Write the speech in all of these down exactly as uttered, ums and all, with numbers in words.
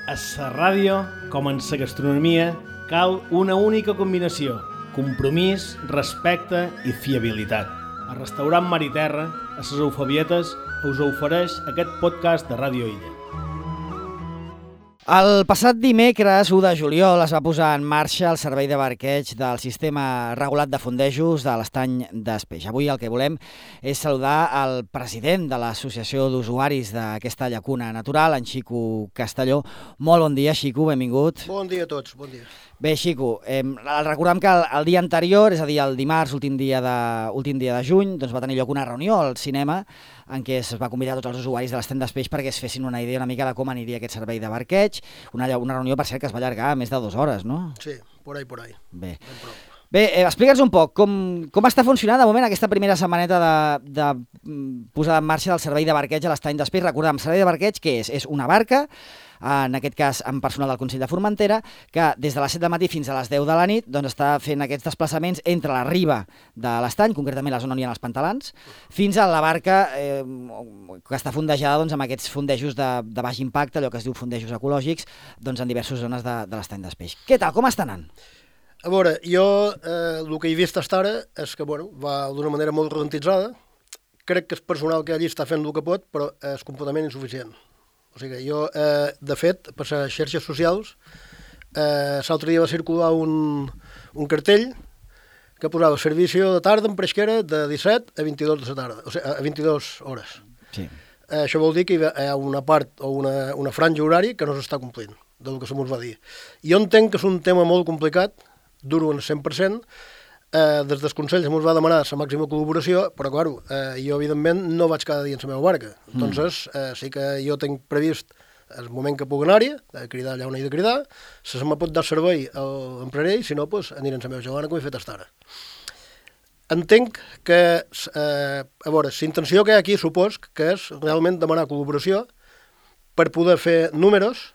A la ràdio, com en la gastronomia, cal una única combinació: compromís, respecte i fiabilitat. El restaurant Mar i Terra, a les Eufebietes, us ofereix aquest podcast de Ràdio Illa. El passat dimecres, u de juliol, es va posar en marxa el servei de barqueig del sistema regulat de fondejos de l'Estany d'Espeix. Avui el que volem és saludar el president de l'Associació d'Usuaris d'aquesta llacuna natural, en Xico Castelló. Molt bon dia, Xico, benvingut. Bon dia a tots, bon dia. Bé, Xico, eh, recordem que el, el dia anterior, és a dir, el dimarts, últim dia de, últim dia de juny, doncs va tenir lloc una reunió al cinema en què es va convidar tots els usuaris de l'Estany d'Espeix perquè es fessin una idea una mica de com aniria aquest servei de barqueig. Una, una reunió, per cert, que es va allargar més de dues hores, no? Sí, por ahí, por ahí. Bé, Bé eh, explica'ns un poc com, com està funcionant de moment aquesta primera setmaneta de, de posada en marxa del servei de barqueig a l'Estany d'Espeix. Recordem, el servei de barqueig, què és? És una barca, en aquest cas amb personal del Consell de Formentera, que des de les set del matí fins a les deu de la nit doncs, està fent aquests desplaçaments entre la riba de l'estany, concretament la zona on hi ha els pantalans, fins a la barca eh, que està fondejada doncs, amb aquests fondejos de, de baix impacte, allò que es diu fondejos ecològics, doncs, en diverses zones de, de l'Estany d'Espeix. Què tal? Com està anant? A veure, jo eh, el que he vist fins ara és que bueno, va d'una manera molt ralentitzada. Crec que el personal que allí està fent el que pot, però és completament insuficient. O sigui, jo, eh, de fet, per les xarxes socials, eh, l'altre dia va circular un, un cartell que posava servici de tarda en pesquera de disset a vint-i-dos de la tarda, o sigui, a vint-i-dues hores. Sí. Eh, això vol dir que hi ha una part o una, una franja horària que no s'està complint, del que se mos va dir. Jo entenc que és un tema molt complicat, duro en cent per cent, eh, des dels consells ens va demanar la màxima col·laboració, però, clar, eh, jo, evidentment, no vaig cada dia en la meva barca. Mm. Entonces, eh, sí que jo tinc previst el moment que pugui anar-hi, de cridar allà on he de cridar, si se me pot dar servei, l'empraré, i si no, pues, aniré en la meva gegona, com he fet fins ara. Entenc que, eh, a veure, la intenció que hi ha aquí, supos, que és realment demanar col·laboració per poder fer números,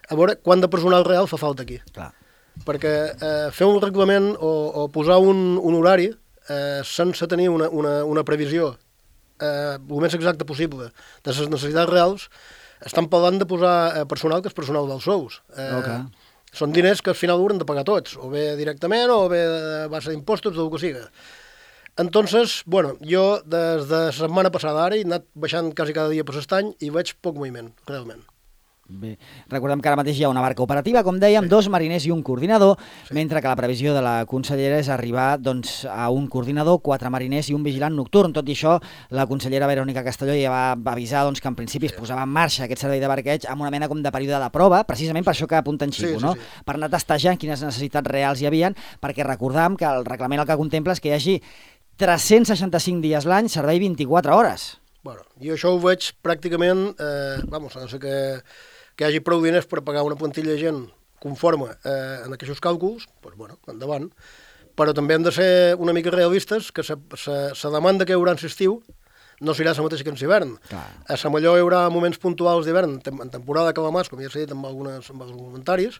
a veure quant de personal real fa falta aquí. Clar. Perquè eh, fer un reglament o, o posar un, un horari eh, sense tenir una, una, una previsió eh, el més exacte possible de les necessitats reals, estan parlant de posar eh, personal que és personal dels sous. Eh, okay. Són diners que al final hauran de pagar tots, o bé directament o bé a base d'impostos, del que siga. Entonces, bueno, jo des de la setmana passada ara he anat baixant quasi cada dia per l'estany i veig poc moviment, realment. Bé, recordem que ara mateix hi ha una barca operativa, com dèiem, sí. dos mariners i un coordinador, sí. mentre que la previsió de la consellera és arribar doncs, a un coordinador, quatre mariners i un vigilant nocturn. Tot i això, la consellera Verònica Castelló ja va avisar doncs, que en principi sí. es posava en marxa aquest servei de barqueig amb una mena com de període de prova, precisament per això que apunta en Xico, sí, sí, no? Sí. Per anar testejant quines necessitats reals hi havien, perquè recordam que el reglament el que contempla és que hi hagi tres-cents seixanta-cinc dies l'any, servei vint-i-quatre hores. Bueno, jo això ho veig pràcticament, eh, vamos, no sé què... que hi hagi prou diners per pagar una plantilla de gent conforme eh, en aquests càlculs, doncs, bueno, endavant. Però també hem de ser una mica realistes, que la demanda que hi haurà en l'estiu no serà la mateixa que en l'hivern. A Samalló hi haurà moments puntuals d'hivern, en temporada de calamars, com ja s'ha dit amb, algunes, amb alguns comentaris,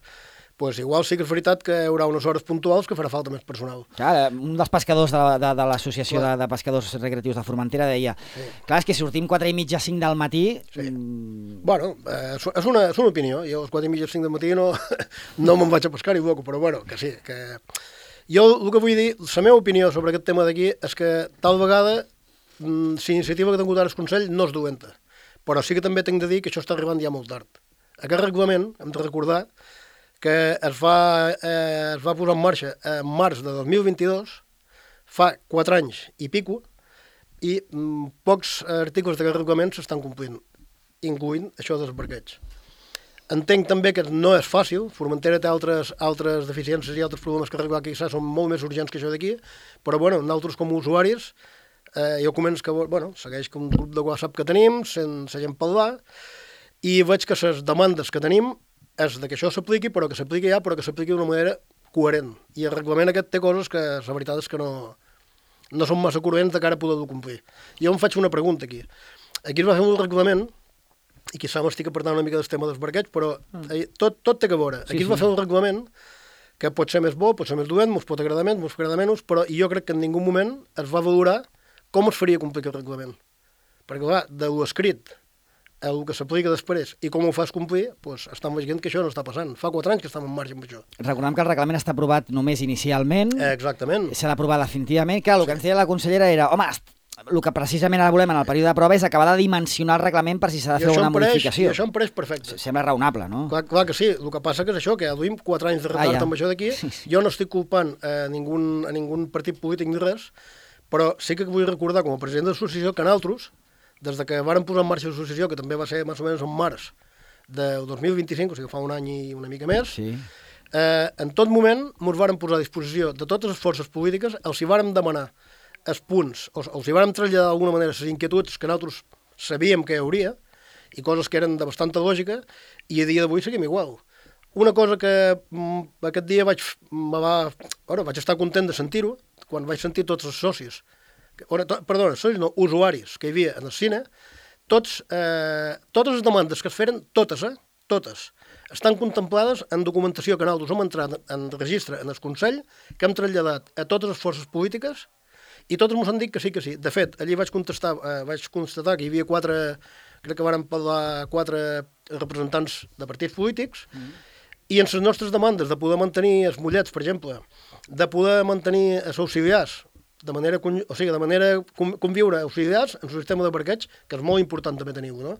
pues igual sí que és veritat que hi haurà unes hores puntuals que farà falta més personal. Clar, un dels pescadors de, de, de l'Associació de, de Pescadors Recreatius de Formentera deia sí. clar, és que si sortim quatre i mitja, cinc del matí... Sí. Mm... Bueno, eh, és, una, és una opinió. Jo als quatre i mitja, cinc del matí no, no me'n vaig a pescar i bloco, però bueno, que sí. Que... Jo el que vull dir, la meva opinió sobre aquest tema d'aquí és que tal vegada mm, la iniciativa que ha tingut ara el Consell no és dolenta, però sí que també tinc de dir que això està arribant ja molt tard. Aquest reglament, hem de recordar, que es va, eh, es va posar en marxa en març de dos mil vint-i-dos, fa quatre anys i pico, i mm, pocs articles d'aquest reglament s'estan complint, incloent això dels barqueig. Entenc també que no és fàcil, Formentera té altres, altres deficiències i altres problemes que arreglar que són molt més urgents que això d'aquí, però bueno, nosaltres com a usuaris, eh, jo començo que, bueno, segueix com un grup de WhatsApp que tenim, sense gent parlar, i veig que les demandes que tenim és de que això s'apliqui, però que s'apliqui ja, però que s'apliqui d'una manera coherent. I el reglament aquest té coses que la veritat és que no, no són massa coherents de cara a poder-ho complir. Jo em faig una pregunta aquí. Aquí es va fer un reglament, i quizà m'estic apartant una mica del tema dels barquets, però tot, tot té que veure. Aquí sí, es va sí. fer un reglament que pot ser més bo, pot ser més dolent, ens pot agradar més, ens pot agradar menys, però jo crec que en ningú moment es va valorar com es faria complir aquest reglament. Perquè, clar, de l'escrit el que s'aplica després i com ho fas complir, doncs estan veient que això no està passant. Fa quatre anys que estem en marxa amb això. Recordem que el reglament està aprovat només inicialment. Eh, exactament. S'ha d'aprovar definitivament. Clar, el que ens deia la consellera era, home, el que precisament ara volem en el període de prova és acabar de dimensionar el reglament per si s'ha de fer alguna modificació. I això em pareix perfecte. Sembla raonable, no? Clar, clar que sí, el que passa que és això, que ja duim quatre anys de retard ah, ja. amb això d'aquí. Sí, sí. Jo no estic culpant a ningú, a ningú partit polític ni res, però sí que vull recordar com a president de l'associació que nosaltres, des de que vàrem posar en marxa l'associació, que també va ser més o menys en març del dos mil vint-i-cinc, o sigui fa un any i una mica més, sí. eh, en tot moment ens vàrem posar a disposició de totes les forces polítiques, els hi vàrem demanar els punts, o els hi vàrem traslladar d'alguna manera les inquietuds que nosaltres sabíem que hi hauria, i coses que eren de bastanta lògica, i a dia d'avui seguim igual. Una cosa que mm, aquest dia vaig, va, bueno, vaig estar content de sentir-ho, quan vaig sentir tots els socis, perdona, socis no, usuaris que hi havia en el cine, tots, eh, totes les demandes que es feren, totes, eh, totes, estan contemplades en documentació que nosaltres hem entrat en registre en el Consell, que hem traslladat a totes les forces polítiques, i totes ens han dit que sí, que sí. De fet, allí vaig contestar, eh, vaig constatar que hi havia quatre, crec que varen parlar quatre representants de partits polítics, mm. i en les nostres demandes de poder mantenir els mollets, per exemple, de poder mantenir els auxiliars, de manera, o sigui, de manera conviure auxiliars en el sistema de parqueig, que és molt important també tenir-ho, no?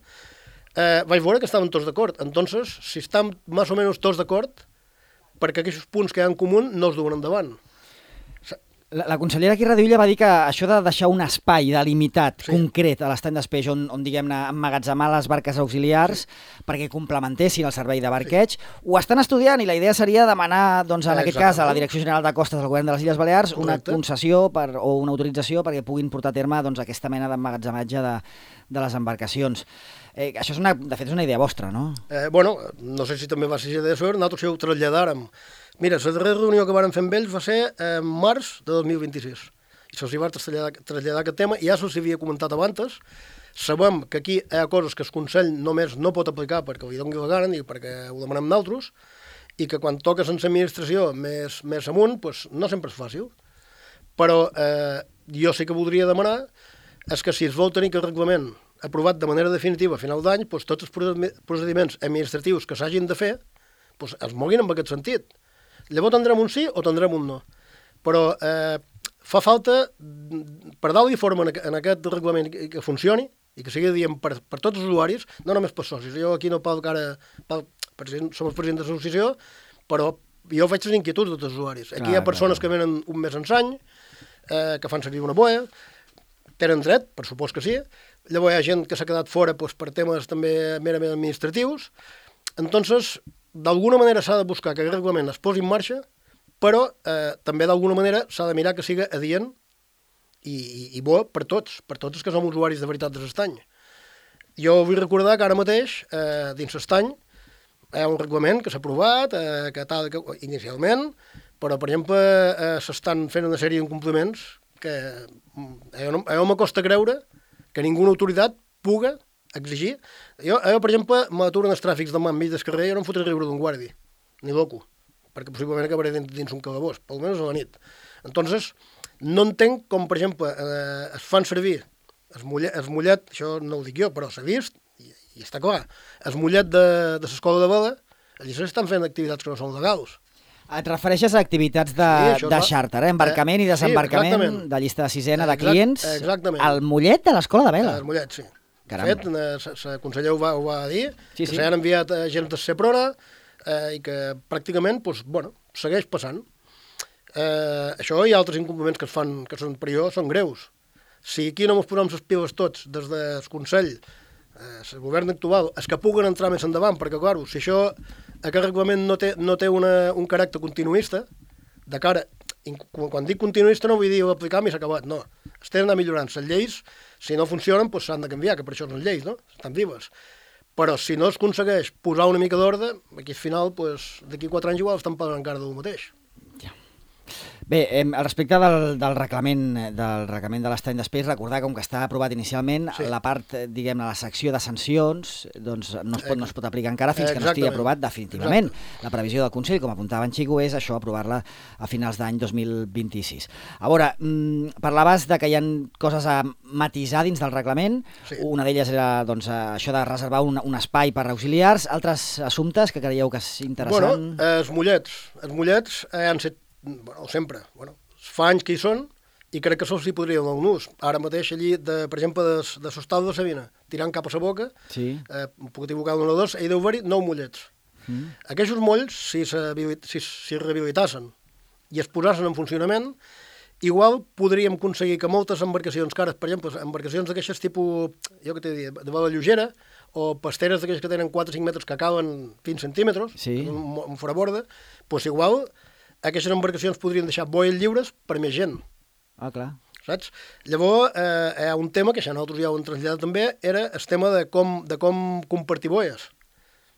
Eh, vaig veure que estaven tots d'acord. Entonces, si estan més o menys tots d'acord, perquè aquests punts que hi ha en comú no es duen endavant. La, la consellera aquí Radiulla va dir que això de deixar un espai delimitat, sí. concret, a l'estany d'espeix on, on diguem-ne, emmagatzemar les barques auxiliars sí. perquè complementessin el servei de barqueig, sí. ho estan estudiant i la idea seria demanar, doncs, en aquest cas, a la Direcció General de Costes del Govern de les Illes Balears una Correcte. concessió per, o una autorització perquè puguin portar a terme doncs, aquesta mena d'emmagatzematge de, de les embarcacions. Eh, això és una, de fet és una idea vostra, no? Eh, bueno, no sé si també va ser idea seva, nosaltres ho traslladàrem. Mira, la darrera reunió que vàrem fer amb ells va ser en març de dos mil vint-i-sis. I se'ls va traslladar, traslladar aquest tema, i ja se'ls havia comentat abans. Sabem que aquí hi ha coses que el Consell només no pot aplicar perquè li doni la gana i perquè ho demanem nosaltres, i que quan toques en l'administració més, més amunt, doncs no sempre és fàcil. Però eh, jo sí que voldria demanar és que si es vol tenir aquest reglament aprovat de manera definitiva a final d'any, doncs tots els procediments administratius que s'hagin de fer doncs es moguin en aquest sentit. Llavors tindrem un sí o tindrem un no. Però eh, fa falta, per dalt i forma en aquest reglament que funcioni i que sigui dient per, per tots els usuaris, no només per socis. Jo aquí no parlo ara, som els presidents de l'associació, però jo faig les inquietuds de tots els usuaris. Aquí clar, hi ha persones clar. que venen un mes ençany, eh, que fan servir una boia, tenen dret, per supòs que sí. Llavors hi ha gent que s'ha quedat fora doncs, per temes també merament administratius. Entonces, d'alguna manera s'ha de buscar que el reglament es posi en marxa, però eh, també d'alguna manera s'ha de mirar que siga adient i, i, i bo per tots, per tots els que som usuaris de veritat de l'estany. Jo vull recordar que ara mateix, eh, dins l'estany, hi ha un reglament que s'ha aprovat, eh, que tal, que, inicialment, però, per exemple, eh, s'estan fent una sèrie d'incompliments que eh, no, eh, m'acosta creure que ninguna autoritat puga exigir. Jo, jo per exemple, m'aturen els tràfics demà enmig del carrer i jo no em fotré riure d'un guardi, ni loco, perquè possiblement acabaré dins, dins un calabós, per almenys a la nit. Entonces, no entenc com, per exemple, eh, es fan servir el mollet, el mollet, això no ho dic jo, però s'ha vist, i, i està clar, el mollet de, de l'escola de vela, allà s'estan fent activitats que no són legals. Et refereixes a activitats de, sí, de xàrter, eh? embarcament eh, i desembarcament, sí, de llista de sisena de clients. Exactament. El mollet de l'escola de vela. El mollet, sí. Caram. De fet, la consellera ho va, ho va dir, sí, que sí. s'han enviat gent de Seprona eh, i que pràcticament doncs, bueno, segueix passant. Eh, això i altres incompliments que es fan, que són per jo, són greus. Si aquí no ens posem les piles tots des del Consell, eh, el govern actual, és que puguen entrar més endavant, perquè, clar, si això, aquest reglament no té, no té una, un caràcter continuista, de cara, quan dic continuista no vull dir aplicar-me i s'ha acabat, no. Es tenen d'anar millorant. Les lleis, si no funcionen, doncs s'han de canviar, que per això són lleis, no? Estan vives. Però si no es aconsegueix posar una mica d'ordre, aquí al final, doncs, d'aquí quatre anys igual estan pagant encara del mateix. Ja. Bé, eh, al respecte del, del reglament del reglament de l'estany d'espais, recordar com que està aprovat inicialment, sí. la part, diguem-ne, la secció de sancions, doncs no es pot, no es pot aplicar encara fins que no estigui aprovat definitivament. Exacte. La previsió del Consell, com apuntava en Xico, és això, aprovar-la a finals d'any dos mil vint-i-sis. A veure, mmm, parlaves de que hi ha coses a matisar dins del reglament, sí. Una d'elles era doncs, això de reservar un, un espai per auxiliars, altres assumptes que creieu que és interessant? Bueno, eh, els mullets, els mullets eh, han set bueno, sempre, bueno, fa anys que hi són i crec que sols hi podria donar un ús. Ara mateix allí, de, per exemple, de, de Sostal de Sabina, tirant cap a sa boca, sí. eh, puc equivocar d'un o dos, hi deu haver-hi nou mullets. Mm. Aquests molls, si es si, si rehabilitassen i es posessin en funcionament, igual podríem aconseguir que moltes embarcacions cares, per exemple, embarcacions d'aquestes tipus, jo què t'he dit, de vela lleugera, o pasteres d'aquelles que tenen quatre o cinc metres que cauen vint centímetres, sí. un, un foraborda, doncs igual aquestes embarcacions podrien deixar boies lliures per més gent. Ah, clar. Saps? Llavors, eh, hi ha un tema, que això nosaltres ja ho hem traslladat també, era el tema de com, de com compartir boies.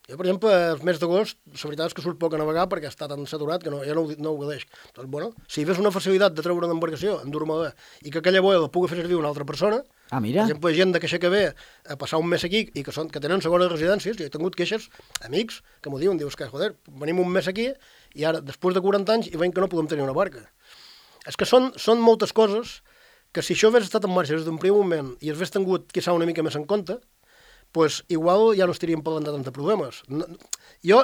Jo, per exemple, el mes d'agost, la veritat és que surt poc a navegar perquè està tan saturat que no, ja no, no ho gadeix. Doncs, bueno, si hi hagués una facilitat de treure una embarcació en dur-me i que aquella boia la pugui fer servir una altra persona, ah, mira. Per exemple, gent de queixa que ve a passar un mes aquí i que, són, que tenen segones residències, jo he tingut queixes, amics, que m'ho diuen, dius que, joder, venim un mes aquí i ara, després de quaranta anys, i veiem que no podem tenir una barca. És que són, són moltes coses que si això hagués estat en marxa des d'un primer moment i hagués tingut, quizà, una mica més en compte, pues igual ja no estaríem parlant de tants problemes. No, jo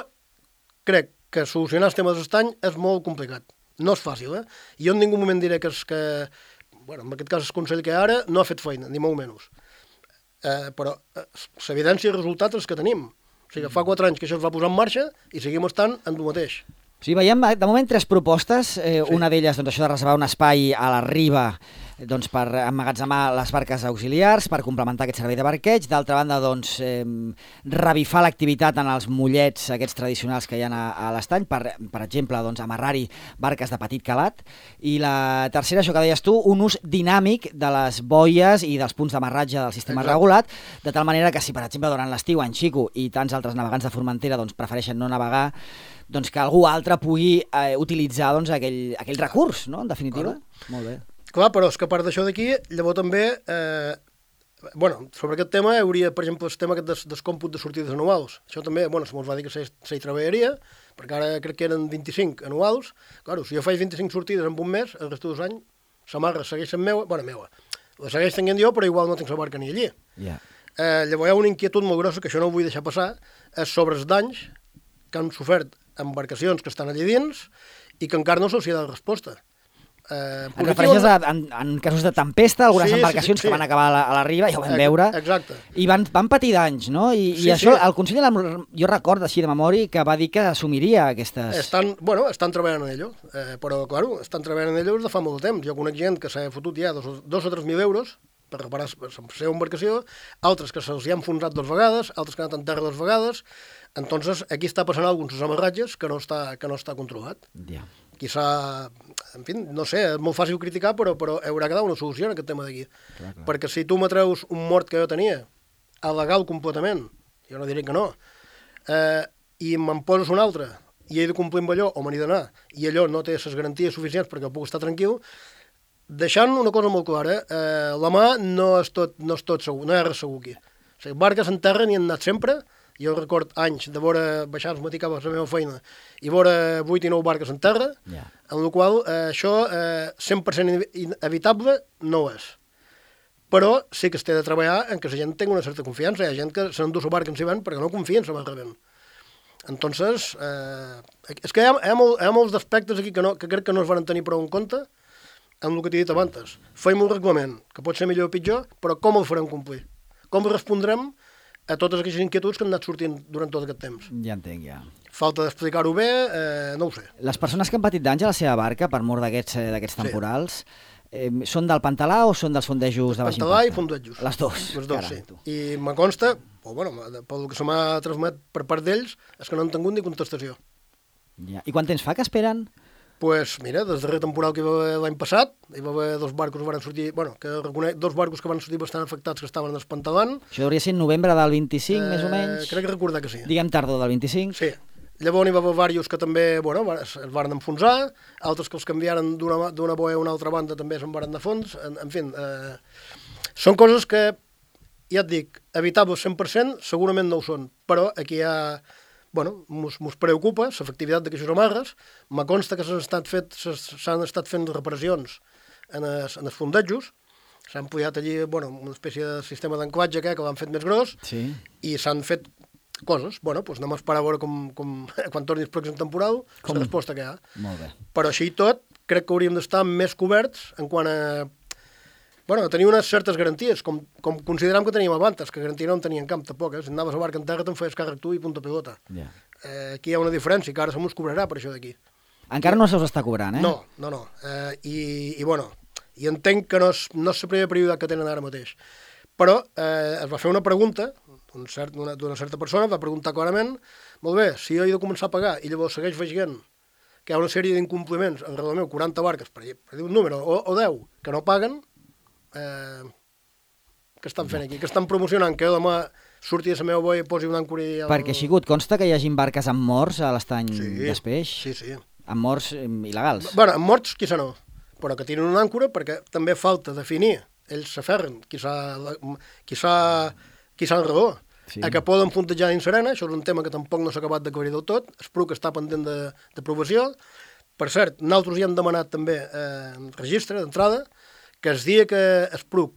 crec que solucionar el tema de l'estany és molt complicat. No és fàcil, eh? I jo en ningú moment diré que, és que bueno, en aquest cas el Consell que ara no ha fet feina, ni molt menys. Eh, però eh, l'evidència i els resultats és que tenim. O sigui, fa quatre anys que això es va posar en marxa i seguim estant en el mateix. Sí, veiem de moment tres propostes, eh, sí. Una d'elles doncs, això de reservar un espai a la riba doncs, per emmagatzemar les barques auxiliars, per complementar aquest servei de barqueig. D'altra banda, doncs, eh, revifar l'activitat en els mollets aquests tradicionals que hi ha a, a l'estany, per, per exemple, doncs, amarrar-hi barques de petit calat. I la tercera, això que deies tu, un ús dinàmic de les boies i dels punts d'amarratge del sistema Exacte. Regulat, de tal manera que si, per exemple, durant l'estiu en Xico i tants altres navegants de Formentera doncs, prefereixen no navegar, doncs que algú altre pugui eh, utilitzar doncs, aquell, aquell recurs, no?, en definitiva. Clar. Molt bé. Clar, però és que a part d'això d'aquí, llavors també, eh, bueno, sobre aquest tema hi hauria, per exemple, el tema aquest des, des còmput de sortides anuals. Això també, bueno, se mos va dir que se, se hi treballaria, perquè ara crec que eren vint-i-cinc anuals. Clar, si jo faig vint-i-cinc sortides en un mes, el resto dels anys, la marra segueix sent meua, bueno, meua, la segueix tenint jo, però igual no tinc la barca ni allí. Yeah. Eh, llavors hi ha una inquietud molt grossa, que això no ho vull deixar passar, és sobre els danys que han sofert embarcacions que estan allà dins i que encara no se'ls ha dat resposta. Eh, en refereixes a, en, en casos de tempesta, algunes sí, embarcacions sí, sí, sí. que van acabar a la, a la riba, ja ho vam veure, Exacte. I van, van patir danys, no? I, sí, i això, sí. El Consell, jo recordo així de memòria, que va dir que assumiria aquestes... Estan, bueno, estan treballant en ello, eh, però, claro, estan treballant en ello des de fa molt de temps. Jo conec gent que s'ha fotut ja dos, dos o tres mil euros per reparar la seva embarcació, altres que se'ls hi han enfonsat dues vegades, altres que han anat en terra dues vegades. Entonces, aquí està passant alguns amarratges que no està, que no està controlat. Ja. Quizà, en fi, no sé, és molt fàcil criticar, però, però haurà que dar una solució en aquest tema d'aquí. Clar, clar. Perquè si tu m'atreus un mort que jo tenia, il·legal completament, jo no diré que no, eh, i me'n poses un altre, i he de complir amb allò, o me n'he d'anar, i allò no té les garanties suficients perquè puc estar tranquil, deixant una cosa molt clara, eh, la mà no és tot, no és tot segur, no hi ha res segur aquí. O sigui, barques en terra n'hi han anat sempre. Jo record anys de veure baixar el matí cap a la meva feina i veure vuit i nou barques en terra, yeah. en la qual eh, això eh, cent per cent inevitable no és. Però sí que es té de treballar en que la gent tingui una certa confiança. Hi ha gent que se n'endú la barca en si ven perquè no confia en la barca ven. Entonces, eh, és que hi ha, hi ha, molt, hi ha molts aspectes aquí que, no, que crec que no es van tenir prou en compte en el que t'he dit abans. Feim un reglament, que pot ser millor o pitjor, però com el farem complir? Com respondrem a totes aquestes inquietuds que han anat sortint durant tot aquest temps? Ja entenc, ja. Falta d'explicar-ho bé, eh, no ho sé. Les persones que han patit danys a la seva barca per mort d'aquests eh, d'aquests temporals, sí. eh, són del pantalà o són dels fondejos de baix impacte? Pantalà i fondejos. Les dos. Les dos, Caram, sí. Tu. I me consta, o bueno, pel que se m'ha transmet per part d'ells, és que no han tingut ni contestació. Ja. I quant temps fa que esperen? Pues mira, des del darrer temporal que hi va haver l'any passat, hi va haver dos barcos que van sortir, bueno, que reconec, dos barcos que van sortir bastant afectats que estaven espantalant. Això hauria ser en novembre del vint-i-cinc, eh, més o menys? Crec que recordar que sí. Diguem tardor del vint-i-cinc. Sí. llavors hi va haver diversos que també bueno, es, es van enfonsar, altres que els canviaren d'una boia a una altra banda també se'n van de fons, en, en fi, eh, són coses que, ja et dic, evitables cent per cent, segurament no ho són, però aquí hi ha, bueno, mos, mos preocupa l'efectivitat d'aquestes amarres, me consta que s'han estat, fet, s'han estat fent reparacions en els, en els fondejos, s'han pujat allí, bueno, una espècie de sistema d'anclatge que, que l'han fet més gros, sí. I s'han fet coses, bueno, doncs anem a esperar a veure com, com quan torni el pròxim temporal, com? La resposta que hi ha. Molt bé. Però així i tot, crec que hauríem d'estar més coberts en quant a, bueno, a tenir unes certes garanties, com, com consideram que teníem abans, que garantia no en tenien camp tampoc, eh? Si anaves a barca en terra te'n feies càrrec tu i punta pelota. Yeah. Eh, aquí hi ha una diferència, que ara se mos cobrarà per això d'aquí. Encara no se us està cobrant, eh? No, no, no. Eh, i, I, bueno, i entenc que no és, no és la primera prioritat que tenen ara mateix. Però eh, es va fer una pregunta, d'una cert, certa persona, va preguntar clarament, molt bé, si jo he de començar a pagar i llavors segueix veient que hi ha una sèrie d'incompliments, en el meu, quaranta barques, per, per dir un número, o, o deu, que no paguen, eh, què estan fent aquí? Que estan promocionant que jo demà surti de la meva boia i posi un àncora i... El... Perquè, Xicut, consta que hi hagi barques amb morts a l'estany sí, d'Espeix? Sí, sí. Amb morts eh, il·legals? Bueno, amb morts, quizà no, però que tenen una àncora perquè també falta definir, ells s'aferren, qui s'ha qui s'ha raó, sí. A que poden fontejar dins serena, això és un tema que tampoc no s'ha acabat d'aclarir del tot, es prou que està pendent d'aprovació. Per cert, nosaltres hi hem demanat també eh, registre d'entrada, que el dia que es prou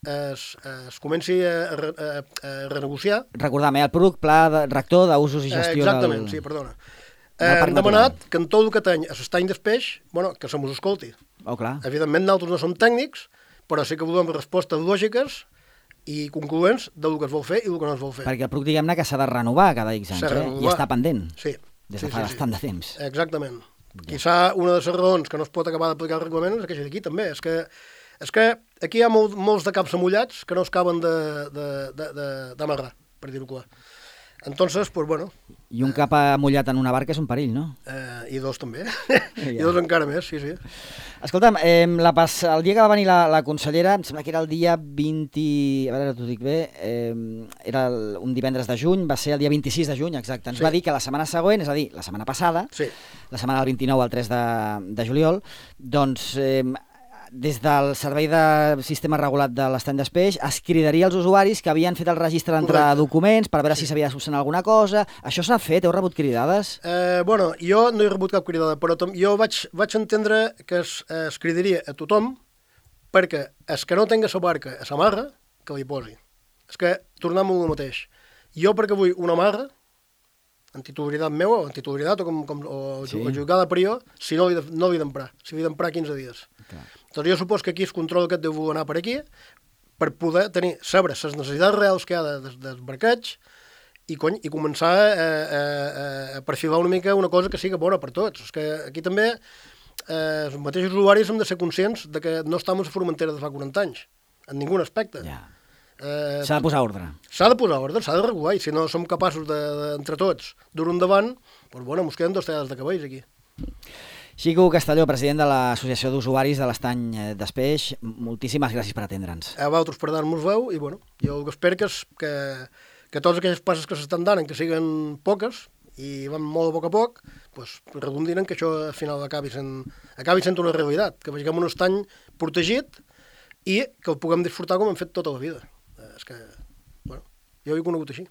es, es comenci a, a, a renegociar... Recordam, eh, el P R U C, Pla de, Rector d'Usos i Gestió eh, exactament, del... sí, perdona. Eh, hem demanat que en tot el que teny a l'estany d'Espeix, bueno, que se mos escolti. Oh, clar. Evidentment, nosaltres no som tècnics, però sí que volem respostes lògiques i concloents del que es vol fer i del que no es vol fer. Perquè el P R U C, diguem-ne, que s'ha de renovar cada X anys, eh? I està pendent. Sí. Des sí, de fa sí, bastant sí. de temps. Exactament. Ja. Quizà una de les raons que no es pot acabar d'aplicar el reglament és aquella d'aquí, també. És que, és que aquí hi ha molt, molts de caps amullats que no es caben d'amarrar, per dir-ho clar. Entonces, pues bueno... I un cap amullat en una barca és un perill, no? Eh, I dos també. I dos encara més, sí, sí. Escolta'm, eh, la pas... el dia que va venir la, la consellera, em sembla que era el dia vint... A veure, t'ho dic bé, eh, era el, un divendres de juny, va ser el dia vint-i-sis de juny, exacte. Ens sí. va dir que la setmana següent, és a dir, la setmana passada, sí. la setmana del vint-i-nou al tres de, de juliol, doncs... Eh, des del Servei de Sistema Regulat de l'Estany d'Espeix es cridaria als usuaris que havien fet el registre d'entrada de documents per veure sí. si s'havia de solucionar alguna cosa. Això s'ha fet? Heu rebut cridades? Eh, bueno, jo no he rebut cap cridada, però jo vaig, vaig entendre que es, es cridaria a tothom perquè es que no tenga la barca a la marra, que li posi. És que tornem a el mateix. Jo perquè vull una marra, en titularitat meva, o en titularitat, o, com, com, o, sí. o jugada per jo, si no l'he d'emprar. Si l'he d'emprar quinze dies. Clar. Doncs jo supos que aquí el control aquest deu anar per aquí per poder tenir, saber les necessitats reals que hi ha de, de, dels barquets i, cony, i començar a, a, a, a perfilar una mica una cosa que sigui bona per tots. És que aquí també eh, els mateixos usuaris hem de ser conscients de que no estem a la Formentera de fa quaranta anys, en ningú aspecte. Ja. Eh, s'ha de posar ordre. S'ha de posar ordre, s'ha de regular, i si no som capaços de, de, entre tots dur-ho endavant, doncs bueno, mos queden dos tallades de cabells aquí. Xico Castelló, president de l'Associació d'Usuaris de l'Estany d'Espeix, moltíssimes gràcies per atendre'ns. A vosaltres per dar-nos veu, i bueno, jo el que espero que, és, que, que totes aquelles passes que s'estan dant, que siguin poques, i van molt a poc a poc, pues, redundin en que això al final acabi sent, acabi sent una realitat, que vegem un estany protegit i que el puguem disfrutar com hem fet tota la vida. És que, bueno, jo ho he conegut així.